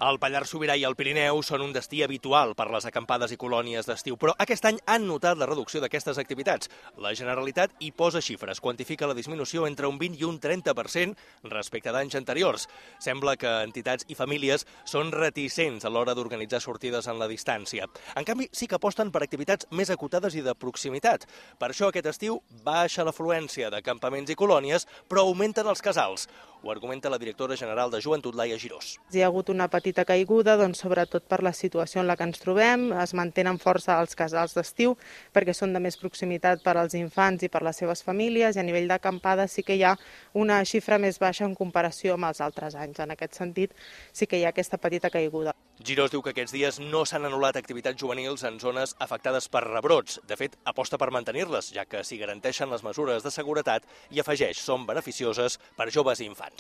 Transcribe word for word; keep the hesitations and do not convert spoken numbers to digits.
El Pallars Sobirà i el Pirineu són un destí habitual per les acampades i colònies d'estiu, però aquest any han notat la reducció d'aquestes activitats. La Generalitat hi posa xifres, quantifica la disminució entre un vint i un trenta per cent respecte d'anys anteriors. Sembla que entitats i famílies són reticents a l'hora d'organitzar sortides en la distància. En canvi, sí que aposten per activitats més acotades i de proximitat. Per això aquest estiu baixa l'afluència de campaments i colònies, però augmenten els casals. Ho argumenta la directora general de Joventut, Laia Girós. Hi ha hagut una petita caiguda, doncs, sobretot per la situació en la que ens trobem. Es mantenen força els casals d'estiu perquè són de més proximitat per als infants i per les seves famílies, i a nivell d'acampada sí que hi ha una xifra més baixa en comparació amb els altres anys. En aquest sentit sí que hi ha aquesta petita caiguda. Girós diu que aquests dies no s'han anul·lat activitats juvenils en zones afectades per rebrots. De fet, aposta per mantenir-les, ja que s'hi garanteixen les mesures de seguretat, i afegeix, són beneficioses per joves i infants.